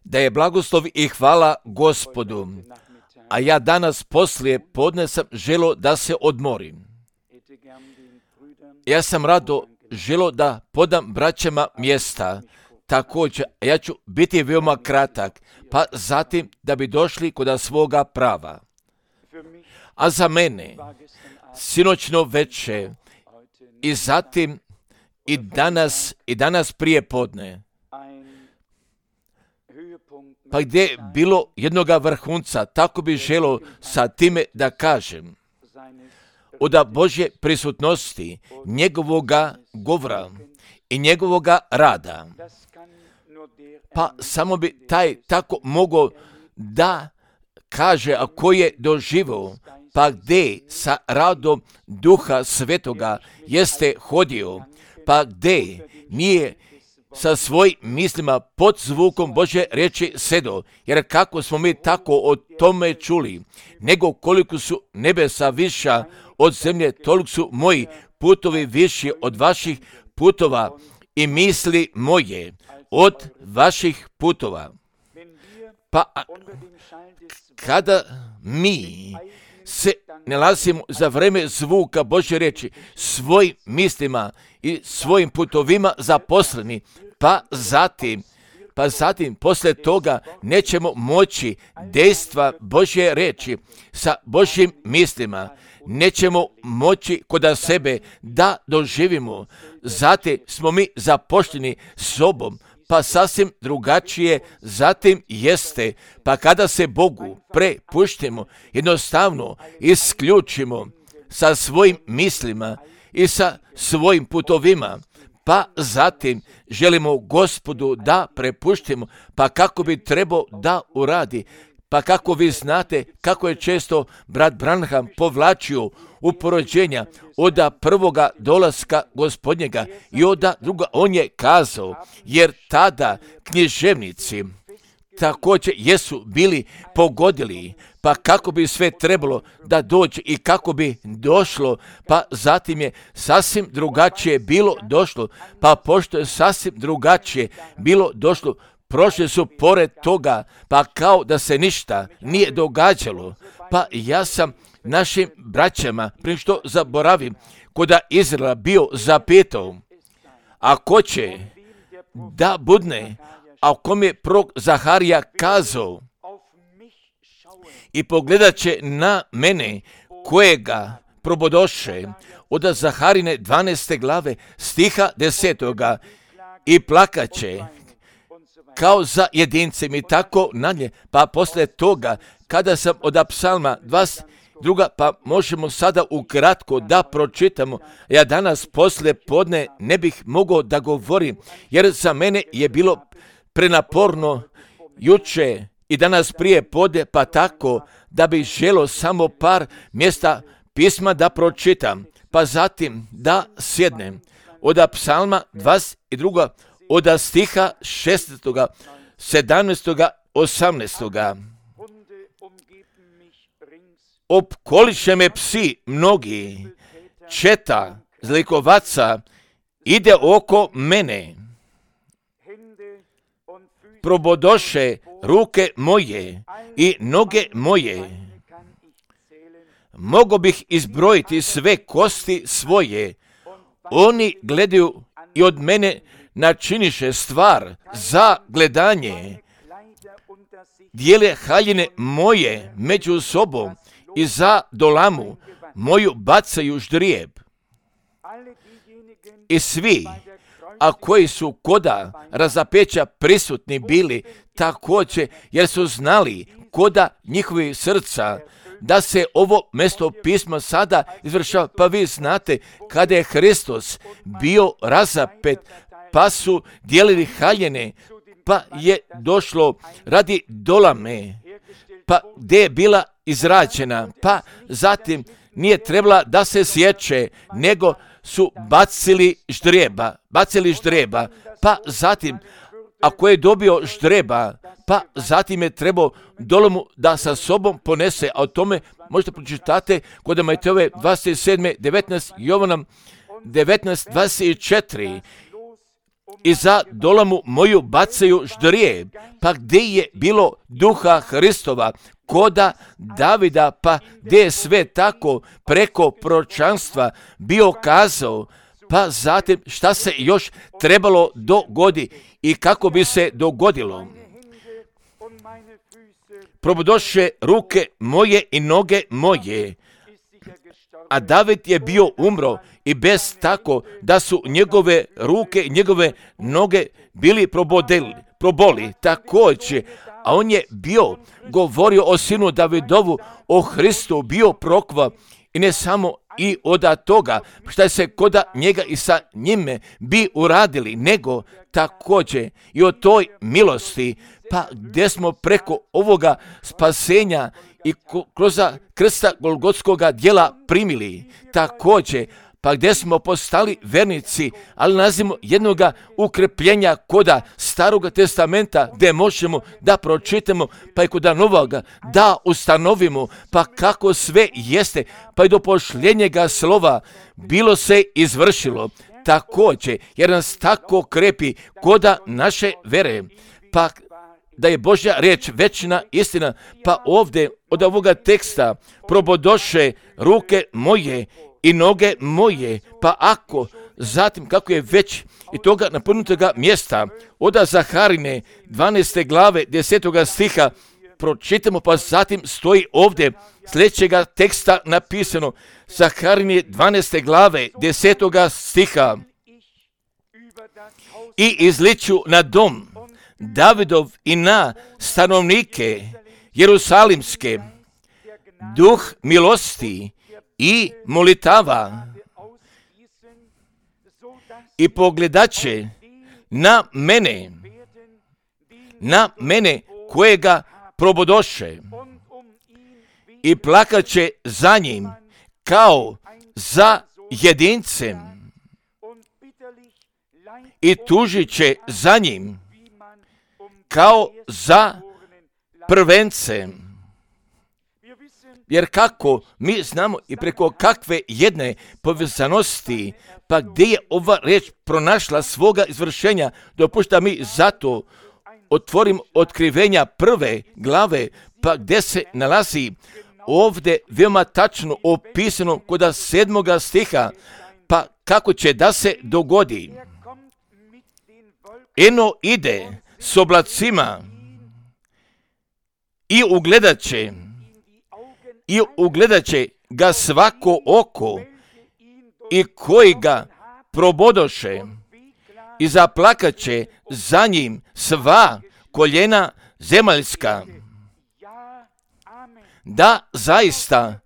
Da je blagoslov i hvala Gospodu, a ja danas poslije podne sam želio da se odmorim. Ja sam rado želio da podam braćama mjesta. Također, ja ću biti veoma kratak, pa zatim da bi došli kod svoga prava. A za mene, sinoćno večer i zatim i danas prije podne, pa gdje je bilo jednoga vrhunca, tako bi želio sa time da kažem, od Božje prisutnosti, njegovoga govora i njegovoga rada. Pa samo bi taj tako mogao da kaže, a ko je doživio, pa gdje sa radom Duha Svetoga jeste hodio, pa gdje nije sa svojim mislima pod zvukom Božje riječi sedo, jer kako smo mi tako o tome čuli, nego koliko su nebesa viša od zemlje, toliko su moji putovi viši od vaših putova i misli moje od vaših putova. Pa kada mi se nalazimo za vrijeme zvuka Božje riječi svojim mislima i svojim putovima zaposleni, pa zatim poslije toga nećemo moći dejstva Božje riječi sa Božjim mislima, nećemo moći kod sebe da doživimo. Zatim smo mi zapošteni sobom, pa sasvim drugačije zatim jeste. Pa kada se Bogu prepuštimo, jednostavno isključimo sa svojim mislima i sa svojim putovima, pa zatim želimo Gospodu da prepuštimo, pa kako bi trebao da uradi. Pa kako vi znate kako je često brat Branham povlačio u porođenja od prvoga dolaska Gospodnjega i od druga, on je kazao, jer tada književnici također jesu bili pogodili, pa kako bi sve trebalo da dođe i kako bi došlo, pa zatim je sasvim drugačije bilo došlo, pa pošto je sasvim drugačije bilo došlo, prošli su pored toga, pa kao da se ništa nije događalo. Pa ja sam našim braćama, prije što zaboravim, kod Izraela bio zapitao, a ko će da budne, a kom je prorok Zaharija kazao, i pogledat će na mene kojega probodoše od Zaharine 12. glave stiha 10. i plakaće kao za jedincem i tako nadalje. Pa poslije toga, kada sam od psalma 22, pa možemo sada ukratko da pročitamo. Ja danas poslije podne ne bih mogao da govorim, jer za mene je bilo prenaporno juče i danas prije podne, pa tako da bih želio samo par mjesta pisma da pročitam, pa zatim da sjednem. Od psalma 22, od stiha 16., 17., 18. Opkoliše me psi mnogi, četa zlikovaca ide oko mene. Probodoše ruke moje i noge moje. Mogo bih izbrojiti sve kosti svoje. Oni gledaju i od mene načiniše stvar za gledanje. Dijele haljine moje među sobom i za dolamu moju bacaju ždrijeb. I svi, a koji su koda razapeća prisutni bili također, jer su znali koda njihovi srca da se ovo mjesto pisma sada izvršava. Pa vi znate kada je Hristos bio razapet, pa su dijelili haljine, pa je došlo radi dolame, pa gdje je bila izrađena, pa zatim nije trebala da se sječe, nego su bacili ždrijeba, pa zatim, ako je dobio ždrijeba, pa zatim je trebao dolomu da sa sobom ponese, a o tome možete pročitate kod Matejove 27. 19, Jovanom 19, 24. i za dolamu moju bacaju ždrije, pa gdje je bilo duha Hristova, koda Davida, pa gdje je sve tako preko proročanstva bio kazao, pa zatim šta se još trebalo dogodi i kako bi se dogodilo. Probodoše ruke moje i noge moje, a David je bio umro i bez tako da su njegove ruke i njegove noge bili proboli također, a on je bio govorio o sinu Davidovu, o Hristu, bio prokva i ne samo i od toga šta se koda njega i sa njime bi uradili, nego također i o toj milosti, pa gdje smo preko ovoga spasenja i kroz krsta Golgotskoga djela primili također, pa gdje smo postali vernici, ali nalazimo jednoga ukrepljenja koda Staroga testamenta, gdje možemo da pročitamo, pa i koda Novoga da ustanovimo, pa kako sve jeste, pa i do pošljenjega slova bilo se izvršilo također, jer nas tako krepi koda naše vere, pa da je Božja riječ večna istina, pa ovdje od ovoga teksta probodoše ruke moje i noge moje, pa ako zatim kako je već i toga napunutega mjesta od Zaharine 12. glave 10. stiha pročitamo, pa zatim stoji ovdje sljedećega teksta napisano, Zaharine 12. glave 10. stiha, i izliču na dom Davidov i na stanovnike Jerusalimske duh milosti i molitava, i pogledaće na mene kojega probodoše, i plakaće za njim kao za jedincem, i tužit će za njim kao za prvencem. Jer kako mi znamo i preko kakve jedne povezanosti, pa gdje je ova riječ pronašla svoga izvršenja, dopušta mi zato otvorim otkrivenja 1. glave, pa gdje se nalazi ovdje veoma tačno opisano kod 7. stiha, pa kako će da se dogodi. Eno ide s oblacima i ugledat će ga svako oko, i koji ga probodoše, i zaplakat će za njim sva koljena zemaljska. Da, zaista,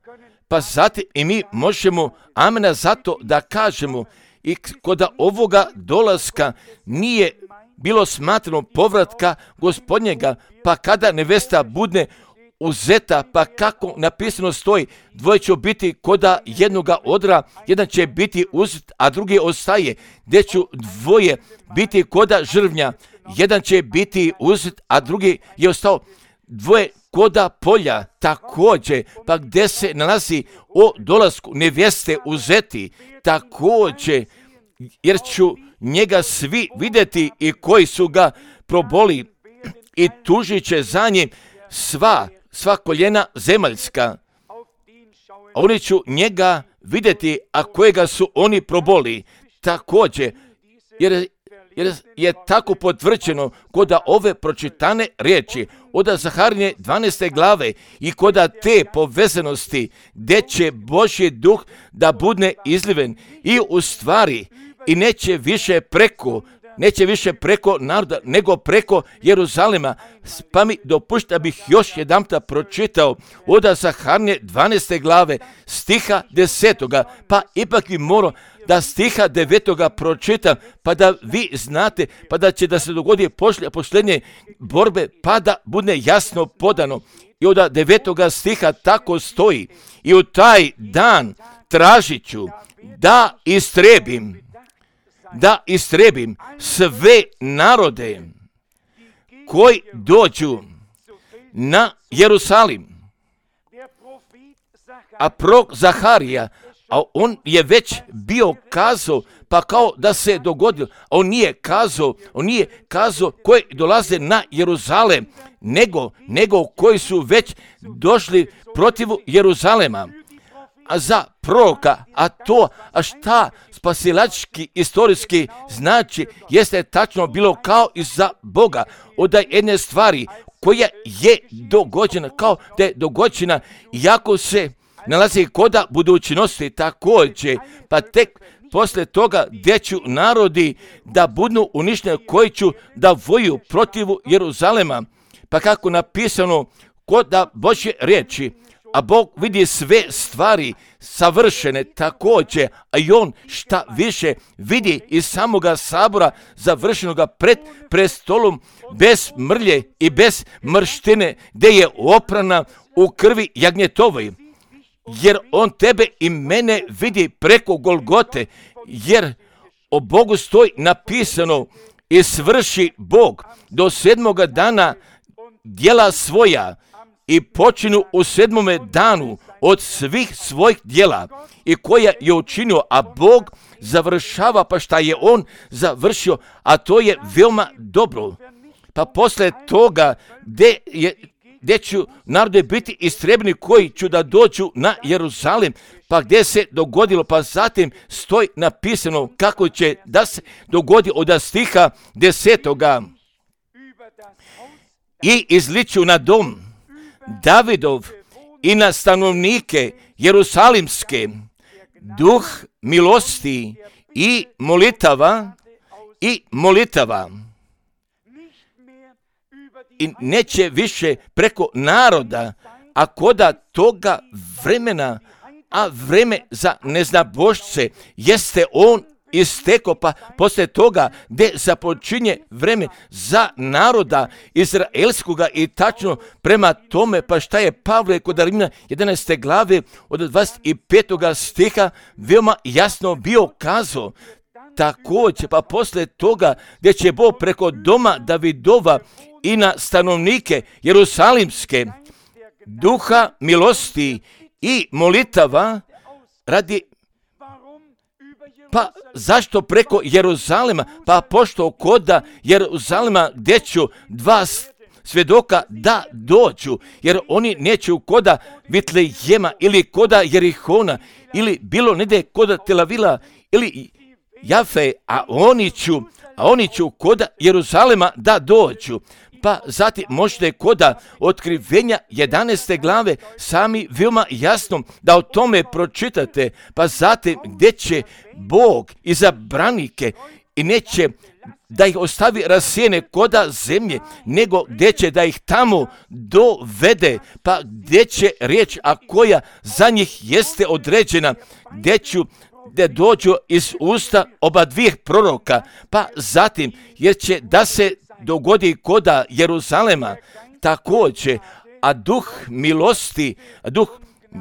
pa zatim i mi možemo amena zato da kažemo, i kod ovoga dolaska nije bilo smatrano povratka Gospodnjega, pa kada nevesta bude uzeta, pa kako napisano stoji, dvoje će biti koda jednoga odra, jedan će biti uzet, a drugi ostaje, gdje će dvoje biti koda žrvnja, jedan će biti uzet, a drugi je ostao, dvoje koda polja također, pa gdje se nalazi o dolasku neveste uzeti također, jer ću njega svi vidjeti i koji su ga proboli, i tužit će za njim sva koljena zemaljska. Oni ću njega vidjeti, a kojega su oni proboli također, jer je tako potvrđeno kod ove pročitane riječi od Zaharine 12. glave i kod te povezanosti gdje će Božji duh da bude izliven i u stvari i neće više preko naroda nego preko Jeruzalema. Pa mi dopušta bih još jedanputa pročitao od Zaharine 12. glave stiha 10. Pa ipak bi morao da stiha 9. pročitam, pa da vi znate, pa da će da se dogodi posljednje borbe, pa da bude jasno podano. I od 9. stiha tako stoji, i u taj dan tražit ću da istrebim sve narode koji dođu na Jerusalim. A prorok Zaharija, a on je već bio kazao, pa kao da se dogodilo. On nije kazao koji dolaze na Jeruzalem, nego koji su već došli protiv Jeruzalema. A za proroka, a šta spasilački, istorijski znači, jeste tačno bilo kao i za Boga. Od jedne stvari koja je dogođena, kao da je dogođena, iako se nalazi koda budućnosti također, pa tek poslije toga gdje ću narodi da budu uništeni koji ću da voju protiv Jeruzalema, pa kako napisano kod da Božje riječi, a Bog vidi sve stvari savršene također, a i on šta više vidi iz samoga sabora završenoga pred prestolom bez mrlje i bez mrštine, gdje je oprana u krvi jagnjetovoj. Jer on tebe i mene vidi preko Golgote, jer o Bogu stoji napisano i svrši Bog do 7. dana djela svoja i počinu u 7. danu od svih svojih djela i koja je učinio, a Bog završava pa šta je on završio, a to je veoma dobro. Pa posle toga gdje ću narode biti istrebni koji ću da dođu na Jeruzalem, pa gdje se dogodilo, pa zatim stoji napisano kako će da se dogodi od stiha 10. I izliču na dom Davidov i na stanovnike Jerusalimske duh milosti i molitava. I neće više preko naroda, a koda toga vremena, a vreme za neznabošce jeste on istekao, pa poslije toga gdje započinje vreme za naroda izraelskoga i tačno prema tome, pa šta je Pavle kod Rimljana 11. glave od 25. stiha veoma jasno bio kazao. Također, pa poslije toga gdje će Bog preko doma Davidova i na stanovnike Jerusalimske duha milosti i molitava radi. Pa zašto preko Jeruzalema? Pa pošto koda Jeruzalema gdje ću 2 svjedoka da dođu, jer oni neće koda Vitlejema ili koda Jerihona ili bilo negdje koda Tel Avila ili Jafe, a oni ću koda Jeruzalema da dođu. Pa zatim možete koda Otkrivenja 11. glave sami veoma jasno da o tome pročitate, pa zatim gdje će Bog izabranike i neće da ih ostavi rasijene koda zemlje, nego gdje će da ih tamo dovede, pa gdje će riječ, a koja za njih jeste određena, gdje dođu iz usta oba dvije proroka, pa zatim jer će da se dogodi koda Jeruzalema također, a duh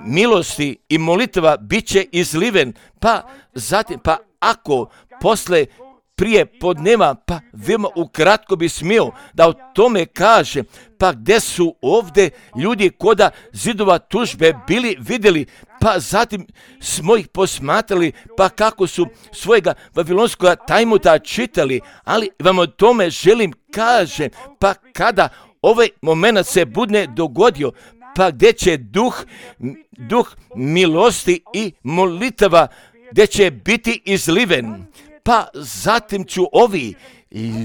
milosti i molitva bit će izliven, pa zatim, pa ako posle prije podneva, pa veoma ukratko bi smio da o tome kaže, pa gdje su ovdje ljudi koda zidova tužbe bili vidjeli, pa zatim smo ih posmatrali, pa kako su svojega vavilonskog tajmuta čitali, ali vam o tome želim kaže, pa kada ovaj moment se bude dogodio, pa gdje će duh milosti i molitava, gdje će biti izliven, pa zatim ću ovi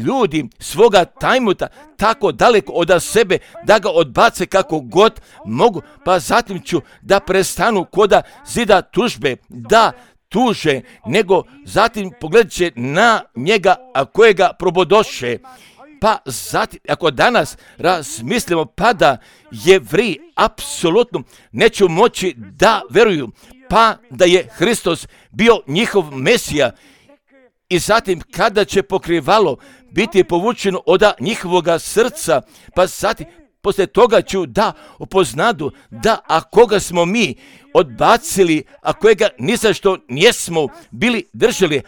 ljudi svoga tajmuta tako daleko od sebe da ga odbace kako god mogu, pa zatim ću da prestanu koda zida tužbe, da tuže, nego zatim pogledat će na njega, a kojega probodoše. Pa zatim, ako danas razmislimo, pa da Jevriji apsolutno neću moći da veruju, pa da je Hristos bio njihov Mesija, i zatim kada će pokrivalo biti povučeno od njihovoga srca, pa zatim poslije toga ću da upoznadu da a koga smo mi odbacili, a kojega ni za što nismo bili držali,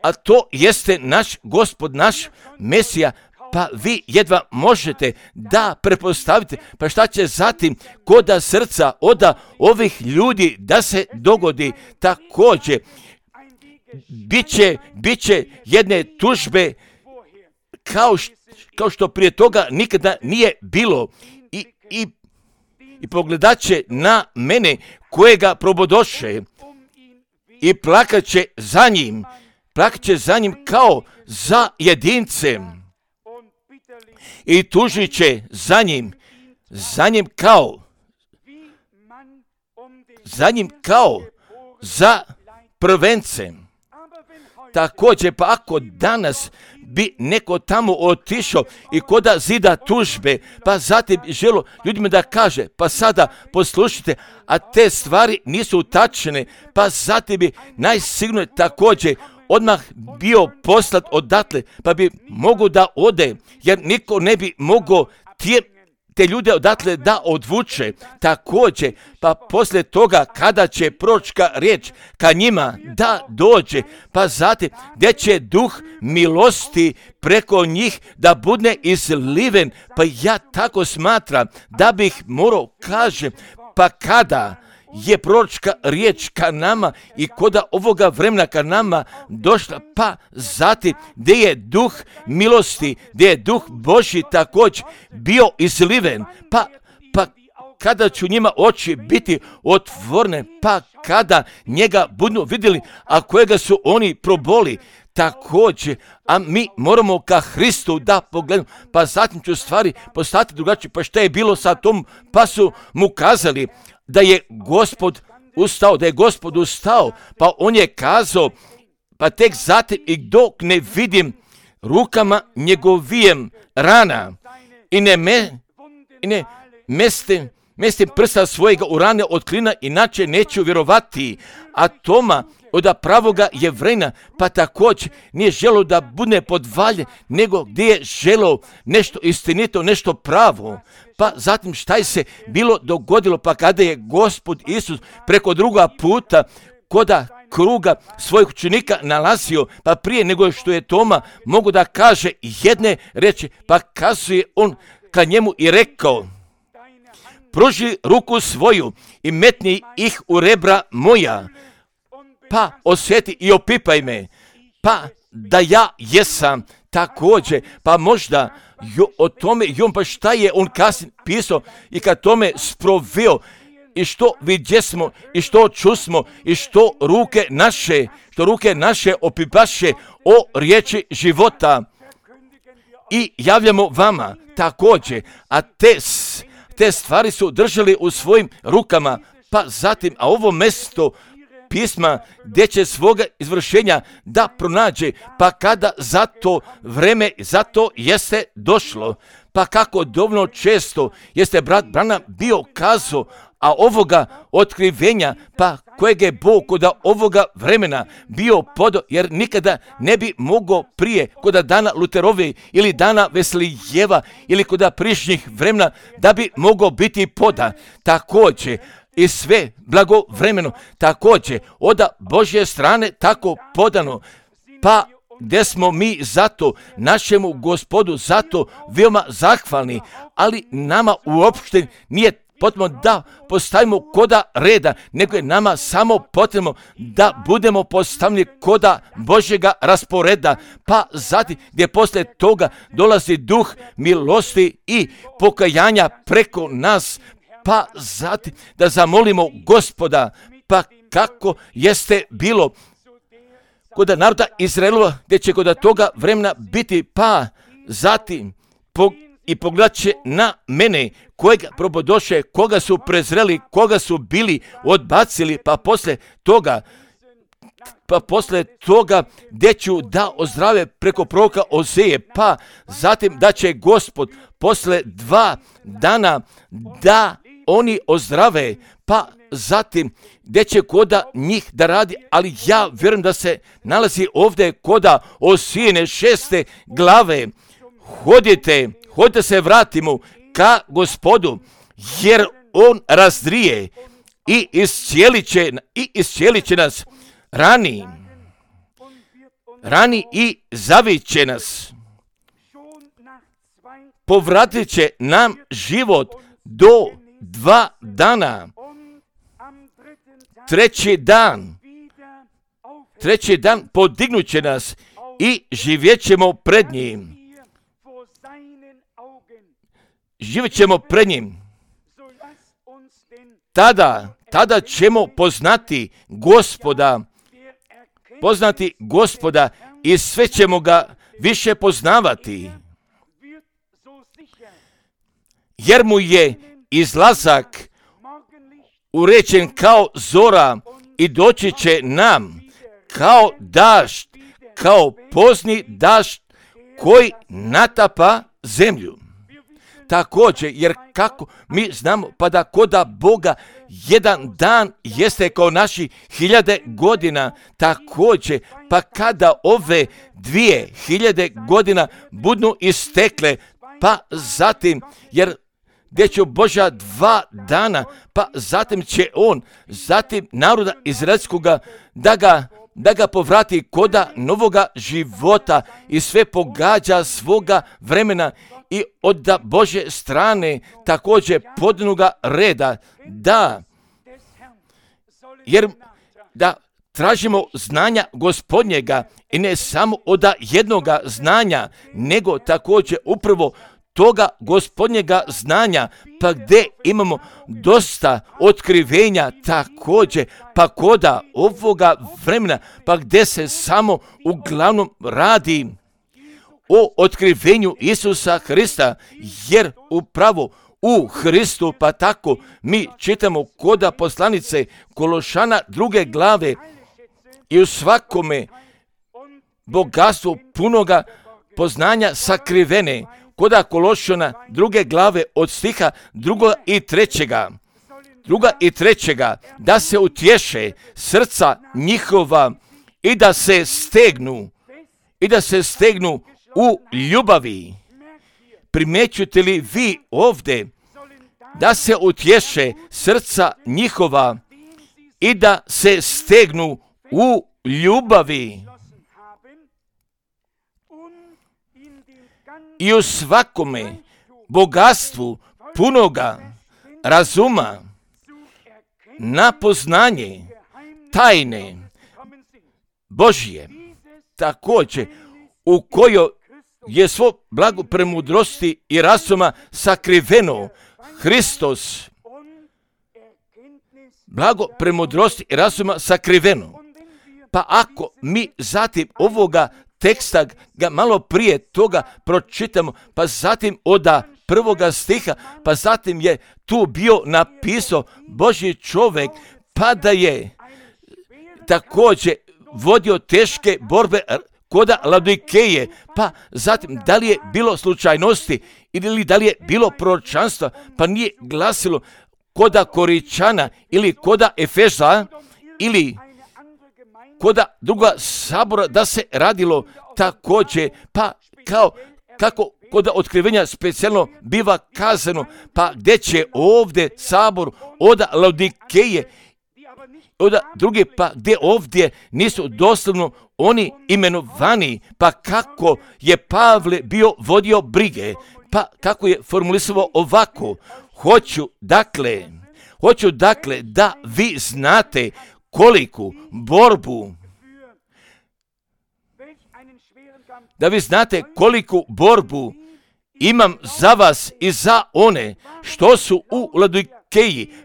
a to jeste naš Gospod, naš Mesija, pa vi jedva možete da prepostavite, pa šta će zatim koda srca oda ovih ljudi da se dogodi. Također, bit će jedne tužbe kao što prije toga nikada nije bilo i pogledat će na mene kojega probodoše i plakat će za njim kao za jedincem i tužit će za njim kao za prvencem. Također, pa ako danas bi neko tamo otišao i koda zida tužbe, pa zatim želo ljudima da kaže, pa sada poslušajte, a te stvari nisu tačne, pa zatim bi najsigurnije također odmah bio poslat odatle, pa bi mogu da ode, jer niko ne bi mogao te ljude odatle da odvuče. Također, pa poslije toga kada će proročka riječ ka njima da dođe, pa zatim gdje će duh milosti preko njih da bude izliven, pa ja tako smatram da bih morao kažem, pa kada je proročka riječ ka nama i koda ovoga vremena ka nama došla, pa zatim gdje je duh milosti, gdje je duh Božji također bio izliven, pa kada ću njima oči biti otvorene, pa kada njega budu vidjeli, a kojega su oni proboli, također, a mi moramo ka Hristu da pogledamo, pa zatim ću stvari postati drugačije, pa šta je bilo sa tom, pa su mu kazali da je Gospod ustao, pa on je kazao, pa tek zatim i dok ne vidim rukama njegovijem rana i ne mestim prsta svojega u rane od klina, inače neću vjerovati. A Toma od pravoga Jevrejna, pa također nije želo da bude podvaljen, nego gdje je želo nešto istinito, nešto pravo. Pa zatim šta je se bilo dogodilo, pa kada je Gospod Isus preko druga puta koda kruga svojih učenika nalazio, pa prije nego što je Toma mogu da kaže jedne reči, pa kazuje on ka njemu i rekao, pruži ruku svoju i metni ih u rebra moja, pa osjeti i opipaj me, pa da ja jesam također, pa možda o tome, pa šta je on kasnije pisao i kad tome sproveo i što vidjesmo i što čusmo i što ruke naše opipaše o riječi života i javljamo vama također, a te stvari su držali u svojim rukama, pa zatim, a ovo mjesto pisma gdje će svoga izvršenja da pronađe, pa kada za to vreme, zato jeste došlo, pa kako dovoljno često jeste brat Branham bio kazao, a ovoga otkrivenja, pa kojeg je Bog kod ovoga vremena bio podao, jer nikada ne bi mogao prije kod dana Luterove ili dana Veslijeva ili kod prišnjih vremena da bi mogao biti poda. Također i sve blagovremeno, također od Božje strane tako podano, pa gdje smo mi zato našemu Gospodu zato veoma zahvalni, ali nama uopšte nije potrebno da postavimo koda reda, nego je nama samo potrebno da budemo postavljeni koda Božjega rasporeda, pa zatim gdje poslije toga dolazi duh milosti i pokajanja preko nas, pa zatim da zamolimo Gospoda, pa kako jeste bilo kod naroda Izraelova, gdje će kod toga vremena biti, pa zatim i pogledat će na mene, kojega probodoše, koga su prezreli, koga su bili odbacili, pa poslije toga gdje ću da ozdrave preko proroka Ozeje, pa zatim da će Gospod posle 2 dana da oni ozdrave, pa zatim gdje će koda njih da radi, ali ja vjerujem da se nalazi ovdje koda Osijine 6. glave. Hodite se vratimo ka Gospodu, jer on razdrije i iscijelit će nas, rani i zavit će nas. povratit će nam život do 2 dana. Treći dan podignut će nas i živjet ćemo pred njim. Živjet ćemo pred njim. Tada ćemo poznati Gospoda i sve ćemo ga više poznavati. Jer mu je izlazak uređen kao zora i doći će nam kao dašt, kao pozni dašt koji natapa zemlju. Također, jer kako mi znamo, pa da koda Boga jedan dan jeste kao naši 1000 godina, također, pa kada ove 2000 godina budu istekle, pa zatim, jer gdje će Božja 2 dana, pa zatim će on, zatim naroda izraelskoga, da ga povrati koda novoga života i sve pogađa svoga vremena i od Božje strane također podnoga reda, jer da tražimo znanja Gospodnjega i ne samo od jednoga znanja, nego također upravo toga Gospodnjega znanja, pa gdje imamo dosta otkrivenja također, pa koda ovoga vremena, pa gdje se samo uglavnom radi o otkrivenju Isusa Hrista, jer upravo u Hristu, pa tako mi čitamo koda poslanice Kološana 2. glave i u svakome bogatstvu punoga poznanja sakrivene, koda Kološana 2. glave od stiha 2. i 3. da se utješe srca njihova i da se stegnu u ljubavi. Primjećujete li vi ovdje da se utješe srca njihova i da se stegnu u ljubavi? I u svakome bogatstvu punoga razuma na poznanje tajne Božje, također u kojoj je svo blago premudrosti i razuma sakriveno Hristos. Blago premudrosti i razuma sakriveno. Pa ako mi zatim ovoga teksta ga malo prije toga pročitamo, pa zatim od 1. stiha, pa zatim je tu bio napisao Božji čovjek, pa da je također vodio teške borbe koda Laodikeje, pa zatim da li je bilo slučajnosti ili da li je bilo proročanstva, pa nije glasilo koda Koričana ili koda Efeza ili koda druga sabora da se radilo također, pa kako koda otkrivenja specijalno biva kazano, pa gdje će ovdje sabor od Laodikeje, od druge, pa gdje ovdje nisu doslovno oni imenovani, pa kako je Pavle bio vodio brige, pa kako je formulisao ovako, hoću dakle da vi znate koliku borbu imam za vas i za one što su u Laodikeji.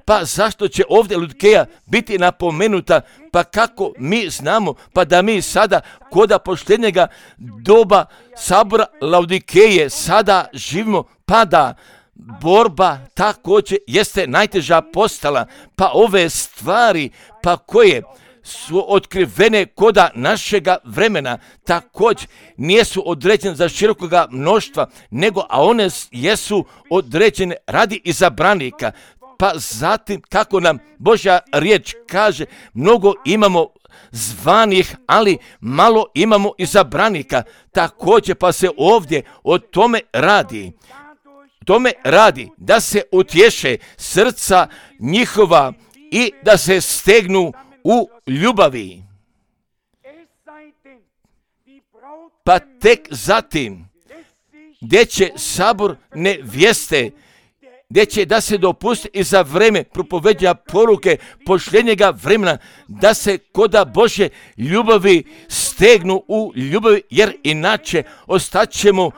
Pa zašto će ovdje Laodikeja biti napomenuta? Pa kako mi znamo, pa da mi sada koda posljednjega doba sabora Laodikeje sada živimo, pa da borba također jeste najteža postala, pa ove stvari, pa koje su otkrivene koda našega vremena, također nijesu određene za širokoga mnoštva, a one jesu određene radi izabranika. Pa zatim, kako nam Božja riječ kaže, mnogo imamo zvanih, ali malo imamo izabranika. Također, pa se ovdje o tome radi da se utješe srca njihova i da se stegnu u ljubavi. Pa tek zatim gdje će sabor nevjeste, gdje će da se dopusti i za vreme propoveđenja poruke posljednjega vremena, da se koda Božje ljubavi stegnu u ljubavi, jer inače ostaćemo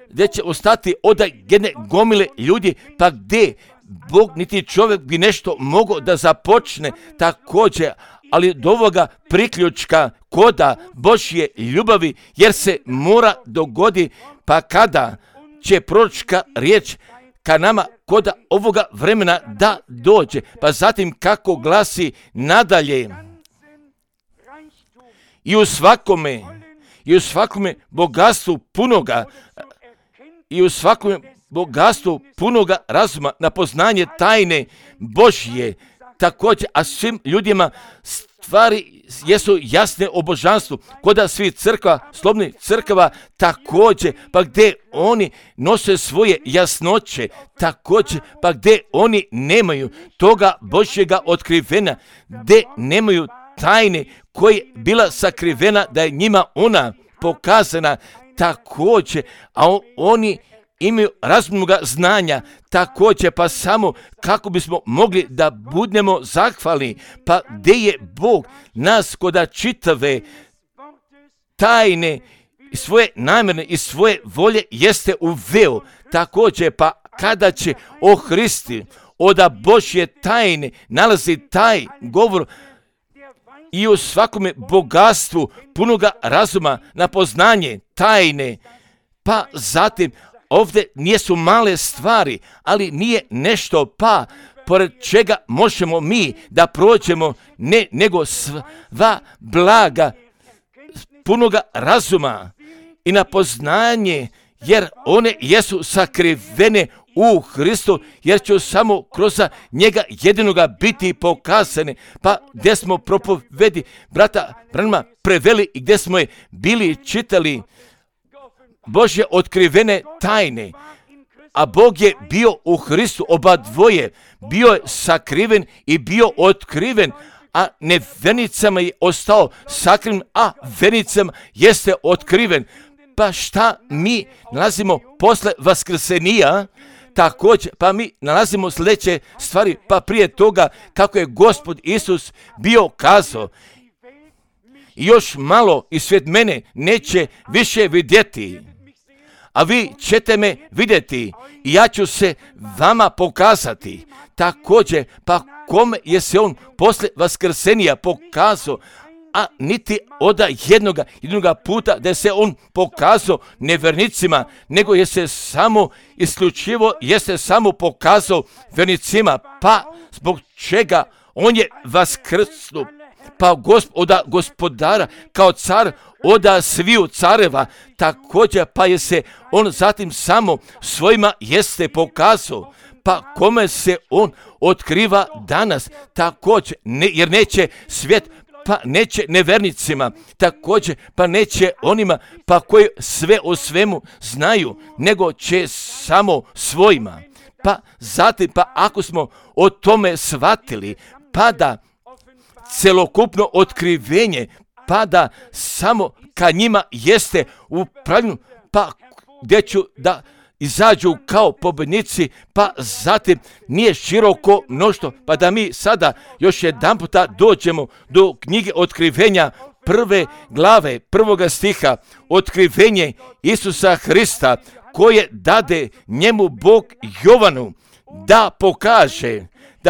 gdje će ostati od jedne gomile ljudi, pa gdje Bog niti čovjek bi nešto mogao da započne također, ali do ovoga priključka koda Božje ljubavi, jer se mora dogodi, pa kada će proročka riječ ka nama koda ovoga vremena da dođe, pa zatim kako glasi nadalje, i u svakome bogatstvu punoga, i u svakome bogatstvu punoga razuma na poznanje tajne Božje također, a svim ljudima stvari jesu jasne o božanstvu, koda svih crkva, slobodnih crkava također, pa gdje oni nose svoje jasnoće također, pa gdje oni nemaju toga Božjega otkrivena, gdje nemaju tajne koja je bila sakrivena, da je njima ona pokazana također, a oni imaju razumnoga znanja također, pa samo kako bismo mogli da budemo zahvalni, pa gdje je Bog nas koda čitave tajne i svoje namjerne i svoje volje jeste uveo također, pa kada će o Hristi oda Božje tajne nalazi taj govor i u svakome bogatstvu punoga razuma na poznanje tajne, pa zatim ovdje nisu male stvari, ali nije nešto pa pored čega možemo mi da prođemo, nego sva blaga punoga razuma i na poznanje, jer one jesu sakrivene u Hristu, jer će samo kroz njega jedinoga biti pokazane. Pa gdje smo propovedi brata Branhama preveli i gdje smo je bili čitali Božje otkrivene tajne, a Bog je bio u Hristu, oba dvoje, bio je sakriven i bio otkriven, a nevernicama je ostao sakriven, a vernicama jeste otkriven. Pa šta mi nalazimo posle vaskrsenija? Također, pa mi nalazimo sljedeće stvari, pa prije toga kako je Gospod Isus bio kazao, još malo i svijet mene neće više vidjeti, a vi ćete me vidjeti i ja ću se vama pokazati. Također, pa kome je se on posle vaskrsenija pokazao, a niti od jednoga puta da se on pokazao nevernicima, nego je se samo isključivo pokazao vernicima, pa zbog čega on je vaskrsnuo, pa oda gospodara kao car oda sviju careva, također pa je se on zatim samo svojima jeste pokazao, pa kome se on otkriva danas također, jer neće svijet, pa neće nevernicima, također pa neće onima pa koji sve o svemu znaju, nego će samo svojima. Pa zatim, pa ako smo o tome shvatili, pa da celokupno otkrivenje, pa da samo ka njima jeste upravljeno, pa gdje ću da izađu kao pobjednici, pa zatim nije široko mnoštvo, pa da mi sada još jedan puta dođemo do knjige otkrivenja prve glave, prvoga stiha, otkrivenje Isusa Hrista, koje dade njemu Bog Jovanu da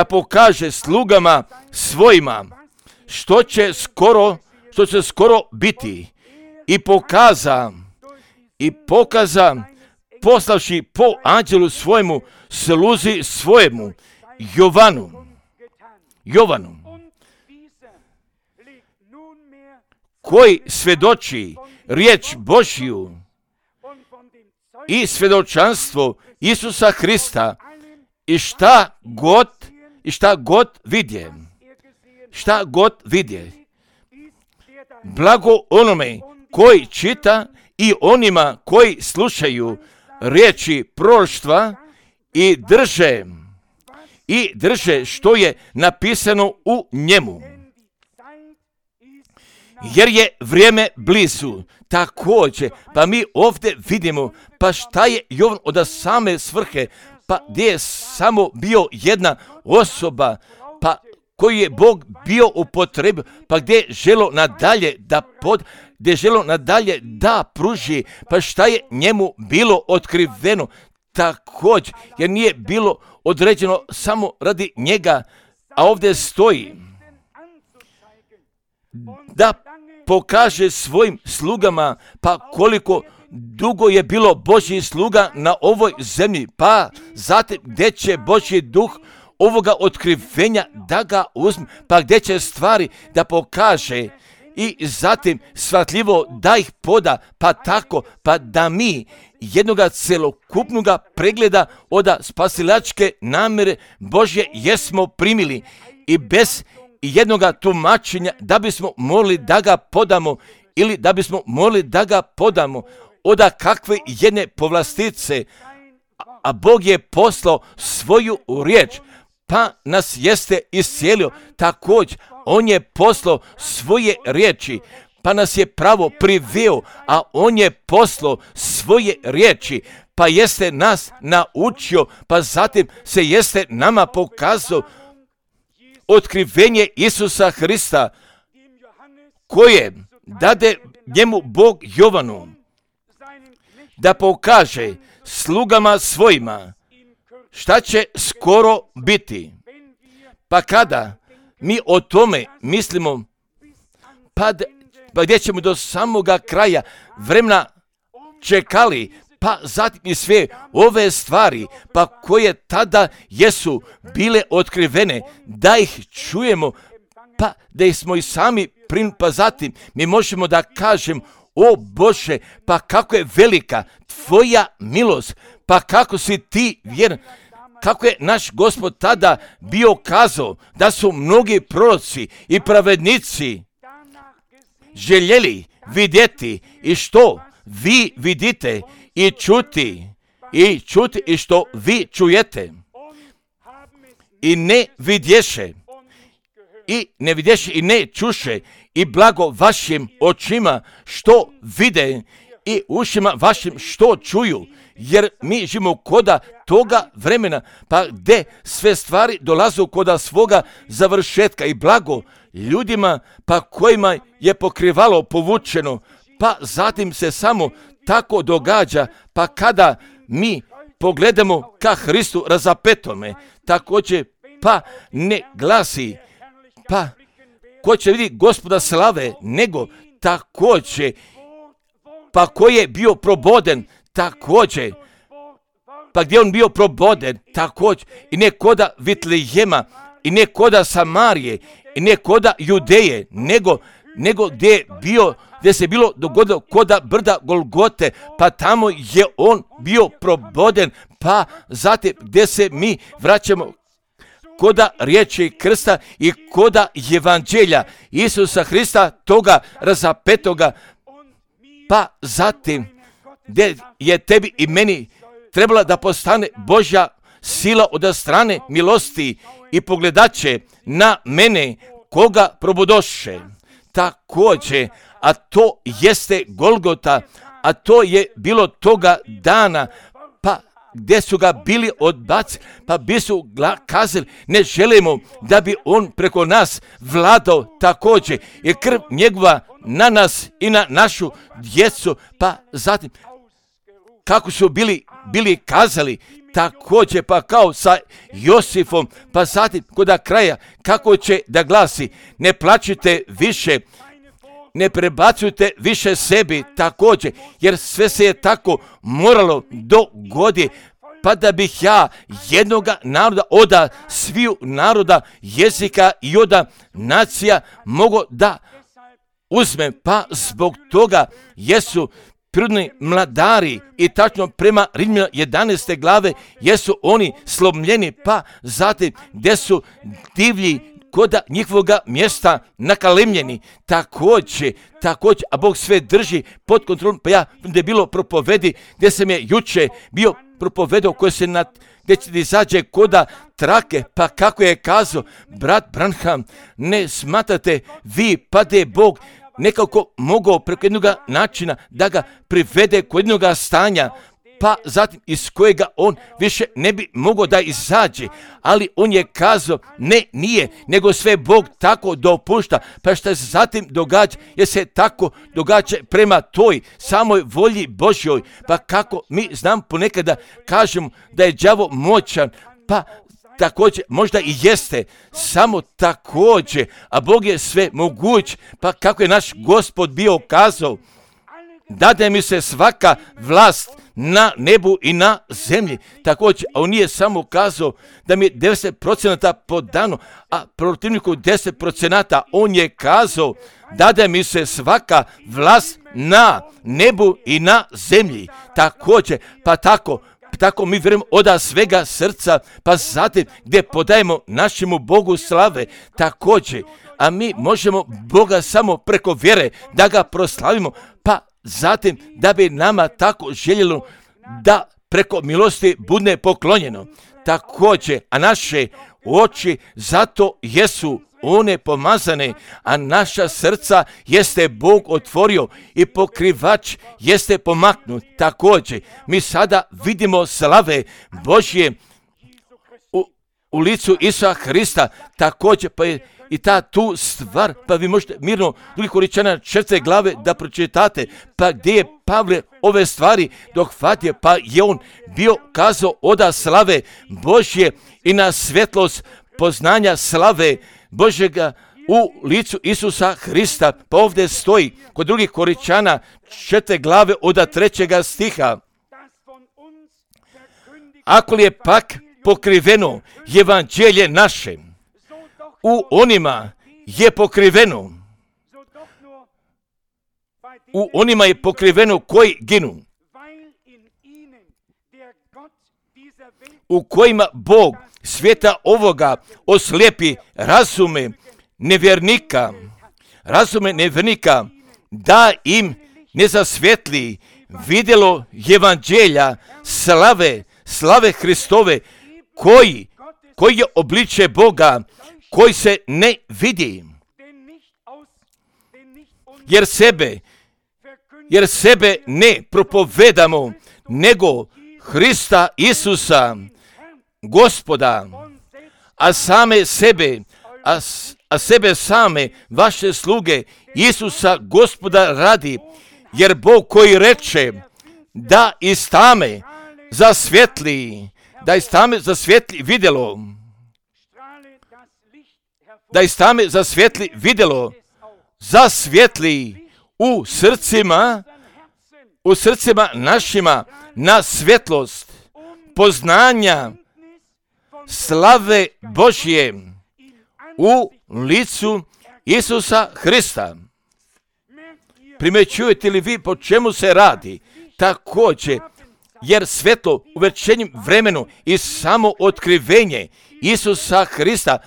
pokaže slugama svojima što će skoro biti, i pokaza poslavši po anđelu svojemu, sluzi svojemu Jovanu, koji svjedoči riječ Božju i svjedočanstvo Isusa Hrista, i šta god vidje. Blago onome koji čita i onima koji slušaju riječi proroštva i drže što je napisano u njemu. jer je vrijeme blizu. Također, pa mi ovdje vidimo, pa šta je Jovan od same svrhe, pa gdje je samo bio jedna osoba, pa koji je Bog bio upotrebio, pa gdje je želo nadalje da pruži, pa šta je njemu bilo otkriveno, također, jer nije bilo određeno samo radi njega, a ovdje stoji da pokaže svojim slugama, pa koliko dugo je bilo Božji sluga na ovoj zemlji, pa zatim gdje će Božji duh ovoga otkrivenja da ga uzme, pa gdje će stvari da pokaže i zatim shvatljivo da ih poda, pa tako, pa da mi jednoga celokupnoga pregleda od spasilačke namjere Božje jesmo primili i bez jednoga tumačenja da bismo morali da ga podamo ili da bismo morali da ga podamo od kakve jedne povlastice, a Bog je poslao svoju riječ, pa nas jeste iscijelio. Također, on je poslao svoje riječi, pa nas je pravo priveo, a on je poslao svoje riječi, pa jeste nas naučio, pa zatim se jeste nama pokazao otkrivenje Isusa Hrista, koje dade njemu Bog Jovanu da pokaže slugama svojima šta će skoro biti. Pa kada mi o tome mislimo, pa gdje ćemo do samoga kraja vremena čekali, pa zatim i sve ove stvari, pa koje tada jesu bile otkrivene, da ih čujemo, pa da ih smo i sami pa zatim mi možemo da kažem, o Bože, pa kako je velika tvoja milost, pa kako si ti vjeran, kako je naš Gospod tada bio kazao da su mnogi proroci i pravednici željeli vidjeti i što vi vidite i čuti i što vi čujete i ne vidješe i ne čuše, i blago vašim očima što vide i ušima vašim što čuju, jer mi živimo koda toga vremena, pa gdje sve stvari dolazu koda svoga završetka, i blago ljudima pa kojima je pokrivalo povučeno, pa zatim se samo tako događa, pa kada mi pogledamo ka Hristu razapetome, također pa ne glasi, pa ko će vidjeti Gospoda slave, nego također, pa ko je bio proboden, također, pa gdje on bio proboden, također, i ne koda Vitlejema, i ne koda Samarije, i ne koda Judeje, nego gdje se bilo dogodilo koda brda Golgote, pa tamo je on bio proboden, pa zatim gdje se mi vraćamo koda riječi krsta i koda evanđelja Isusa Hrista, toga razapetoga, pa zatim gdje je tebi i meni trebala da postane Božja sila od strane milosti i pogledaće na mene koga probudoše. Također, a to jeste Golgota, a to je bilo toga dana, pa gdje su ga bili odbacili, pa bi su kazali, ne želimo da bi on preko nas vladao, također, jer krv njegova na nas i na našu djecu, pa zatim kako su bili kazali, također pa kao sa Josifom, pa zatim koda kraja kako će da glasi, ne plačite više, ne prebacujte više sebi, također, jer sve se je tako moralo dogoditi, pa da bih ja jednoga naroda od sviju naroda, jezika i od nacija mogo da uzmem, pa zbog toga jesu prirodni mladari i tačno prema Rimljana 11. glave jesu oni slomljeni, pa zatim gdje su divlji koda njihovoga mjesta nakalemljeni, također, a Bog sve drži pod kontrolom, pa ja gdje je bilo propovedi, gdje sam je juče bio propovedao, koje se gdje će izađe koda trake, pa kako je kazao brat Branham, ne smatrate vi, pa da je Bog nekako mogao preko jednog načina da ga privede kod jednog stanja, pa zatim iz kojega on više ne bi mogao da izađe, ali on je kazao, ne, nije, nego sve Bog tako dopušta, pa što se zatim događa, jer se tako događa prema toj samoj volji Božjoj, pa kako mi znam ponekada kažemo da je đavo moćan, pa također možda i jeste, samo također, a Bog je sve moguć, pa kako je naš Gospod bio kazao, dade mi se svaka vlast na nebu i na zemlji. Također, a on nije samo kazao da mi je 90% podano, a protivniku 10%, on je kazao, dade mi se svaka vlast na nebu i na zemlji. Također, pa tako mi vjerujemo od svega srca, pa zatim gdje podajemo našemu Bogu slave, također, a mi možemo Boga samo preko vjere da ga proslavimo, pa zatim da bi nama tako željelo da preko milosti bude poklonjeno. Također, a naše oči zato jesu one pomazane, a naša srca jeste Bog otvorio i pokrivač jeste pomaknut. Također, mi sada vidimo slave Božje u licu Isusa Hrista. Također, pa je i ta tu stvar, pa vi možete mirno drugih Korinčana 4. glave da pročitate, pa gdje je Pavle ove stvari dohvatio, pa je on bio kazao oda slave Božje i na svjetlost poznanja slave Božjega u licu Isusa Hrista. Pa ovdje stoji kod drugih Korinčana 4. glave od 3. stiha. Ako li je pak pokriveno evanđelje naše, u onima je pokriveno. U onima je pokriveno koji ginu. U kojima Bog svijeta ovoga oslijepi razume nevjernika, da im ne zasvjetli vidjelo evanđelja slave Hristove, koji je obliče Boga, koji se ne vidi, jer sebe ne propovedamo, nego Hrista Isusa, Gospoda, a sebe same vaše sluge Isusa Gospoda radi, jer Bog koji reče da iz tame zasvjetli vidjelo, da iz tame zasvjetli vidjelo, zasvjetli u srcima našima na svjetlost poznanja slave Božje u licu Isusa Hrista. Primjećujete li vi po čemu se radi? Također, jer svjetlo u večernjem vremenu i samo otkrivenje Isusa Hrista,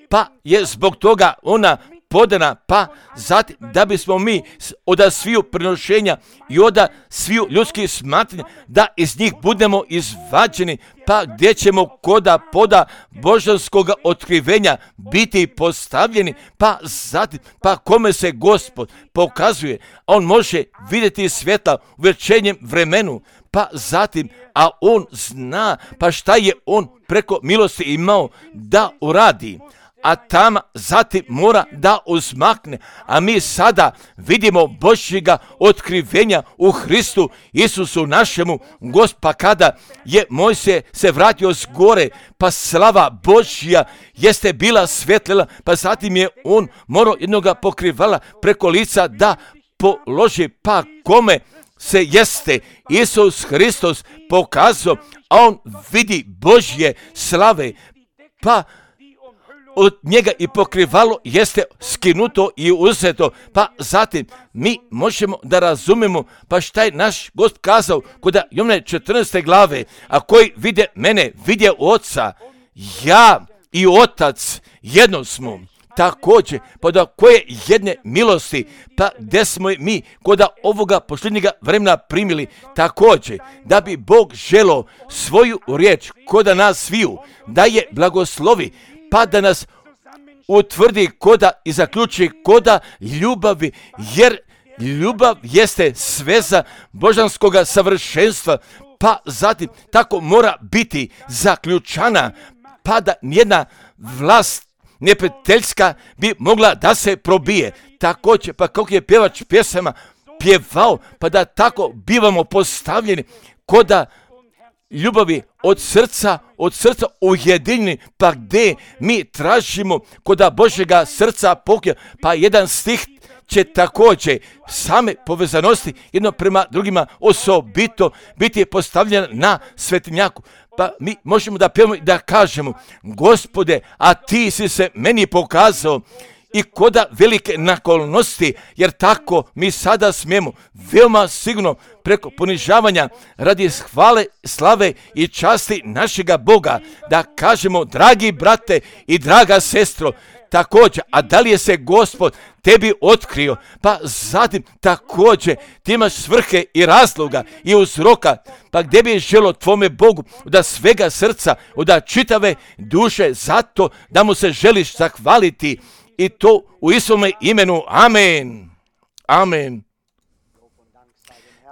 pa je zbog toga ona podana, pa zatim da bismo mi od sviju prenošenja i od sviju ljudskih smatranja, da iz njih budemo izvađeni, pa gdje ćemo koda poda božanskog otkrivenja biti postavljeni, pa zatim, pa kome se Gospod pokazuje, on može vidjeti svjetla u večernjem vremenu, pa zatim, a on zna, pa šta je on preko milosti imao da uradi, a tam zatim mora da uzmakne, a mi sada vidimo Božjega otkrivenja u Hristu Isusu našemu Gospodu, kada je Mojsije se vratio s gore, pa slava Božja jeste bila svjetlila, pa zatim je on morao jednoga pokrivala preko lica da položi, pa kome se jeste Isus Hristos pokazao, a on vidi Božje slave, pa od njega i pokrivalo jeste skinuto i uzeto, pa zatim mi možemo da razumemo, pa šta je naš Gospod kazao kod Jovana 14. glave, a koji vide mene, vide Oca, ja i Otac jedno smo. Također, pa da koje jedne milosti, pa gdje smo mi kod ovoga posljednjega vremena primili, također, da bi Bog želio svoju riječ kod nas sviju, da je blagoslovi, pa da nas utvrdi koda i zaključi koda ljubavi, jer ljubav jeste sveza božanskoga savršenstva, pa zatim tako mora biti zaključana, pa da nijedna vlast neprijateljska bi mogla da se probije. Također, pa kako je pjevač pjesama pjevao, pa da tako bivamo postavljeni koda ljubavi od srca ujedinjeni, pa gdje mi tražimo koda Božjega srca pokja, pa jedan stih će također same povezanosti jedno prema drugima osobito biti postavljen na svetinjaku. Pa mi možemo da pjevamo i da kažemo: Gospode, a ti si se meni pokazao i koda velike naklonosti, jer tako mi sada smijemo veoma sigurno preko ponižavanja radi hvale, slave i časti našega Boga da kažemo: dragi brate i draga sestro, također, a da li je se Gospod tebi otkrio, pa zatim također ti imaš svrhe i razloga i uzroka, pa gdje bi želo tvome Bogu da svega srca, da čitave duše, zato da mu se želiš zahvaliti, i to u Isovome imenu. Amen. Amen.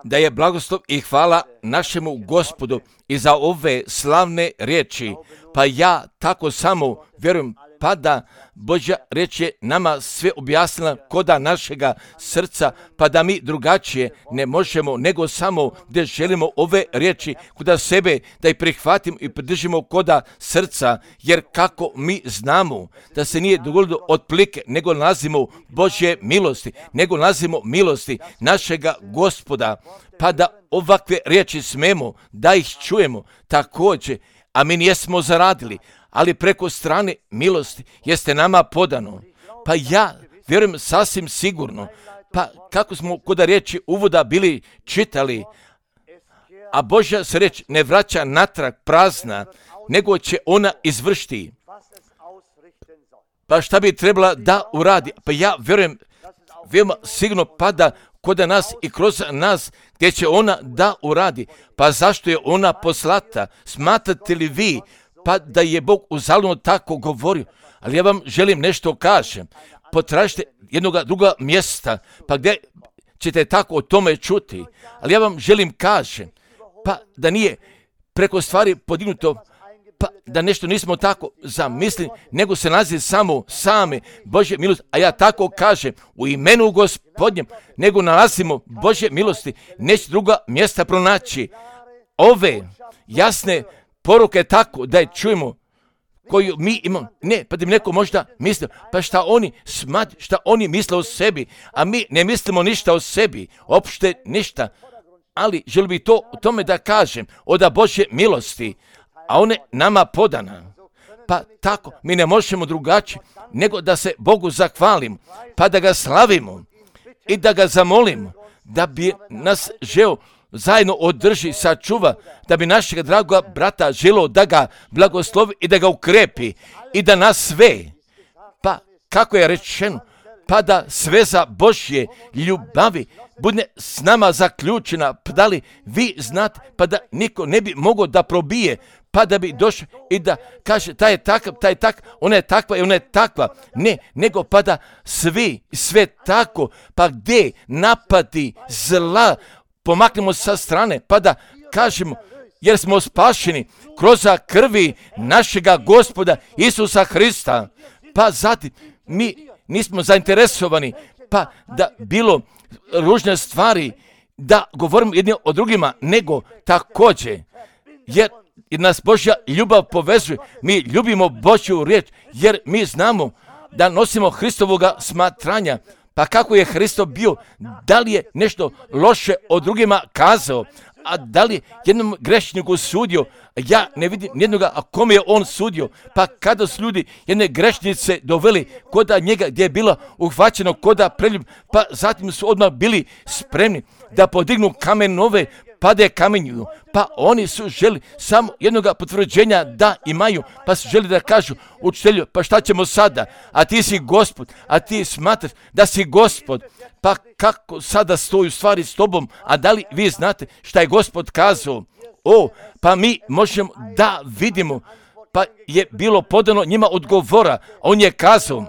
Da je blagoslov i hvala našemu Gospodu i za ove slavne riječi. Pa ja tako samo vjerujem, pa da Božja riječ je nama sve objasnila koda našega srca, pa da mi drugačije ne možemo nego samo gdje želimo ove riječi koda sebe da ih prihvatimo i pridržimo koda srca, jer kako mi znamo da se nije dogodilo od plike, nego nalazimo Božje milosti, nego nalazimo milosti našega Gospoda, pa da ovakve riječi smemo da ih čujemo također, a mi nijesmo zaradili, ali preko strane milosti jeste nama podano. Pa ja vjerujem sasvim sigurno, pa kako smo kod riječi uvoda bili čitali, a Božja se riječ ne vraća natrag prazna, nego će ona izvršiti. Pa šta bi trebala da uradi? Pa ja vjerujem veoma sigurno pada kod nas i kroz nas, gdje će ona da uradi. Pa zašto je ona poslata? Smatrate li vi pa da je Bog uzaludno tako govorio? Ali ja vam želim nešto kažem. Potražite jednoga druga mjesta, pa gdje ćete tako o tome čuti. Ali ja vam želim kažem, pa da nije preko stvari podignuto, pa da nešto nismo tako zamislili, nego se nalazi samo same Božje milosti. A ja tako kažem, u imenu Gospodnjem, nego nalazimo Božje milosti, neće druga mjesta pronaći. Ove jasne poruke tako da je čujemo, koju mi imamo, ne, pa da mi neko možda misli, pa šta oni smatri, šta oni misle o sebi, a mi ne mislimo ništa o sebi, opšte ništa, ali želim bi to o tome da kažem, oda Božje milosti, a one nama podana. Pa tako, mi ne možemo drugačije, nego da se Bogu zahvalimo, pa da ga slavimo i da ga zamolimo, da bi nas želio zajedno održi, sačuva, da bi našeg dragoga brata želio da ga blagoslovi i da ga ukrepi i da nas sve, pa kako je rečeno, pa da sveza Božje ljubavi bude s nama zaključena, pa da li vi znate, pa da niko ne bi mogao da probije, pa da bi došao i da kaže taj je takav, ona je takva i ona je takva. Ne, nego pa da sve tako, pa gdje napadi zla, pomaknemo sa strane, pa da kažemo, jer smo spašeni kroz krvi našega Gospoda Isusa Hrista. Pa zatim mi nismo zainteresovani, pa da bilo ružne stvari, da govorimo jedni o drugima, nego također, jer nas Božja ljubav povezuje. Mi ljubimo Božju riječ, jer mi znamo da nosimo Hristovoga smatranja. Pa kako je Hristo bio? Da li je nešto loše o drugima kazao? A da li jednom grešniku sudio? Ja ne vidim nijednoga, a kome je on sudio? Pa kada su ljudi jedne grešnice doveli koda njega, gdje je bila uhvaćeno koda preljub, pa zatim su odmah bili spremni da podignu kamenove, pa da je kamenjuju. Pa oni su želi samo jednoga potvrđenja da imaju, pa su želi da kažu učitelju, pa šta ćemo sada? A ti si Gospod, a ti smatraš da si Gospod. Pa kako sada stoji u stvari s tobom, a da li vi znate šta je Gospod kazao? Pa mi možemo da vidimo pa je bilo podano njima odgovora. On je kazao,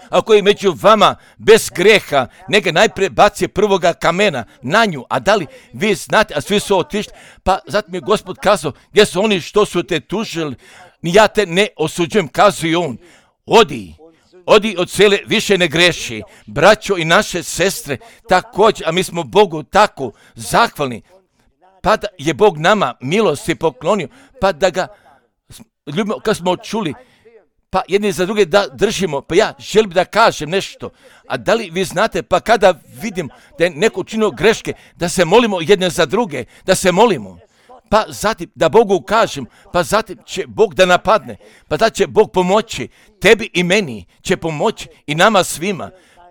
ako je među vama bez greha, neka najprije baci prvoga kamena na nju. A da li vi znate, a svi su otišli, pa zatim je Gospod kazao, gdje su oni što su te tužili, ni ja te ne osuđujem, kazuje on, odi od sele, više ne greši. Braćo i naše sestre, također, a mi smo Bogu tako zahvalni, pa da je Bog nama milosti poklonio, pa da ga ljubimo, kad smo čuli, pa jedni za druge da držimo, pa ja želim da kažem nešto. A da li vi znate, pa kada vidim da je neko učinio greške, da se molimo jedne za druge, da se molimo. Pa zatim da Bogu kažem, pa zatim će Bog da napadne, pa da će Bog pomoći, tebi i meni će pomoći i nama svima.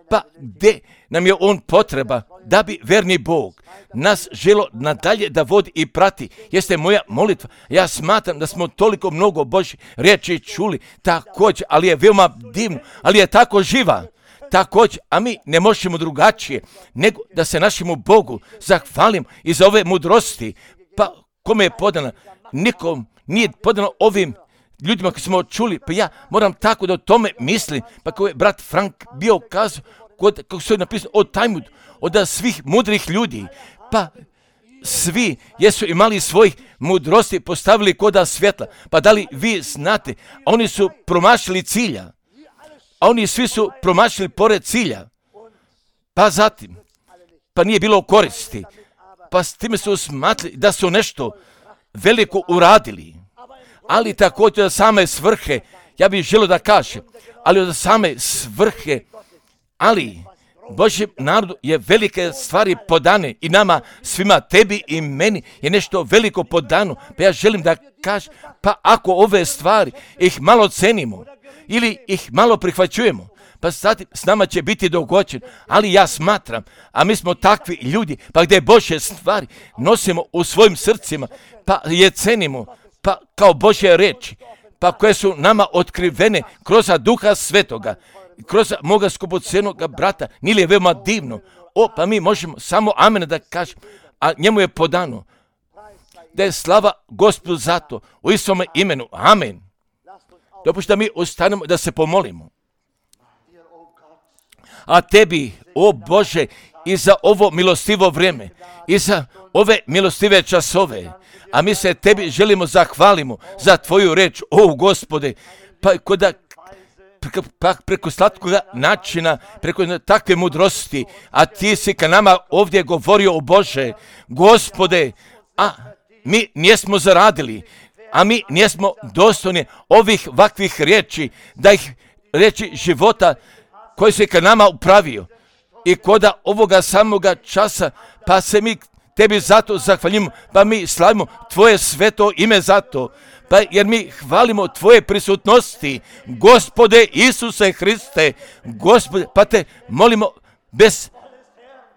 Pa gdje nam je on potreba da bi verni Bog nas želo nadalje da vodi i prati. Jeste moja molitva. Ja smatram da smo toliko mnogo Božje riječi čuli također, ali je veoma divno, ali je tako živa. Također, a mi ne možemo drugačije nego da se našemu Bogu zahvalim i za ove mudrosti. Pa kome je podana? Nikom nije podano ovim ljudima koji smo čuli, pa ja moram tako da o tome mislim. Pa kao je brat Frank bio kazao, kako se je napisano od Talmud, od svih mudrih ljudi, pa svi jesu imali svojih mudrosti postavili koda svjetla. Pa da li vi znate, oni su promašili cilja, a oni svi su promašili pored cilja, pa zatim, pa nije bilo koristi, pa s time su smatrali da su nešto veliko uradili, ali također od same svrhe, ja bih želio da kažem, ali od same svrhe, ali Božjem narodu je velike stvari podane i nama svima, tebi i meni je nešto veliko podano, pa ja želim da kažem, pa ako ove stvari ih malo cenimo ili ih malo prihvaćujemo, pa sad s nama će biti dogođen, ali ja smatram, a mi smo takvi ljudi, pa gdje Božje stvari nosimo u svojim srcima, pa je cenimo, pa kao Božje reči, pa koje su nama otkrivene kroz Duha Svetoga, kroz moga skupocenoga brata, nije li je veoma divno? Pa mi možemo samo amen da kažemo, a njemu je podano da je slava Gospodu zato, u istome imenu, amen. Dopušta mi ostanemo da se pomolimo. A tebi, o Bože, i za ovo milostivo vrijeme, i za ove milostive časove, a mi se tebi želimo zahvalimo za tvoju reč, o Gospode, pa koda preko slatkoga načina, preko takve mudrosti, a ti si ka nama ovdje govorio, o Bože, Gospode, a mi nismo zaradili, a mi nismo dostojni ovih ovakvih riječi, da ih riječi života koji se ka nama upravio. I koda ovoga samoga časa, pa se mi tebi zato zahvaljimo, pa mi slavimo tvoje sveto ime zato, pa jer mi hvalimo tvoje prisutnosti, Gospode Isuse Hriste, Gospode, pa te molimo bez,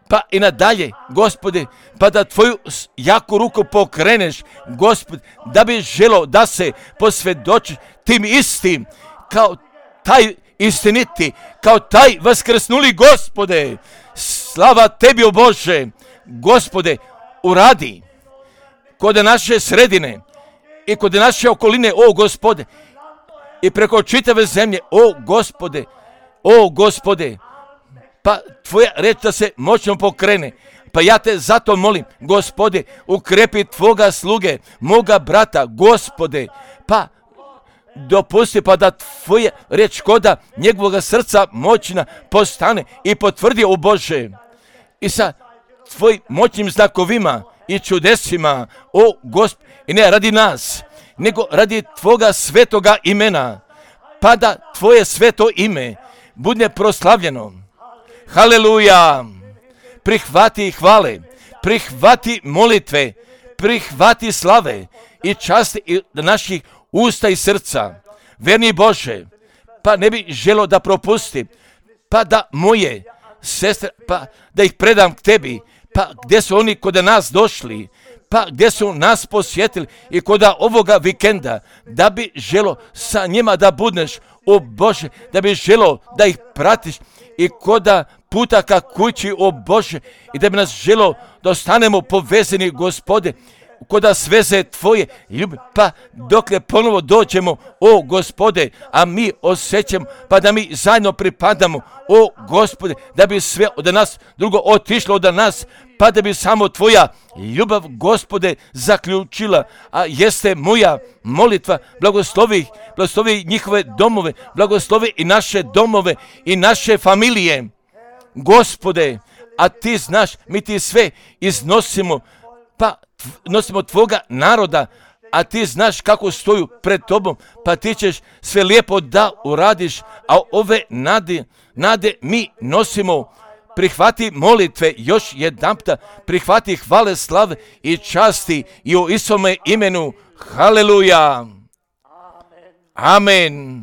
pa i nadalje, Gospode, pa da tvoju jaku ruku pokreneš, Gospode, da bi želo da se posvjedočiš tim istim, kao taj istiniti, kao taj vaskrsnuli, Gospode, slava tebi, o Bože, Gospode, uradi kod naše sredine i kod naše okoline, o Gospode, i preko čitave zemlje, o Gospode, pa tvoja reč da se moćno pokrene. Pa ja te zato molim, Gospode, ukrepi tvoga sluge, moga brata, Gospode, pa dopusti pa da tvoja reč koda njegovoga srca moćna postane i potvrdi, o Bože, i sa tvojim moćnim znakovima i čudesima, o Gospod, i ne radi nas, nego radi tvoga svetoga imena, pa da tvoje sveto ime bude proslavljeno. Haleluja! Prihvati hvale, prihvati molitve, prihvati slave i časti naših usta i srca. Verni Bože, pa ne bi želo da propustim, pa da moje sestre, pa da ih predam k tebi, pa gdje su oni kod nas došli, pa gdje su nas posjetili i kod ovoga vikenda, da bi želo sa njima da budeš, o Bože, da bi želo da ih pratiš i kod puta ka kući, o Bože, i da bi nas želo da ostanemo povezani, Gospode, koda sveze tvoje ljubavi, pa dokle ponovo dođemo, o Gospode, a mi osjećamo, pa da mi zajedno pripadamo, o Gospode, da bi sve od nas drugo otišlo od nas, pa da bi samo tvoja ljubav, Gospode, zaključila. A jeste moja molitva, blagoslovi njihove domove, blagoslovi i naše domove i naše familije, Gospode, a ti znaš, mi ti sve iznosimo, pa nosimo tvoga naroda, a ti znaš kako stoju pred tobom, pa ti ćeš sve lijepo da uradiš, a ove nade mi nosimo. Prihvati molitve još jedanputa, prihvati hvale, slave i časti i u Isome imenu. Haleluja. Amen.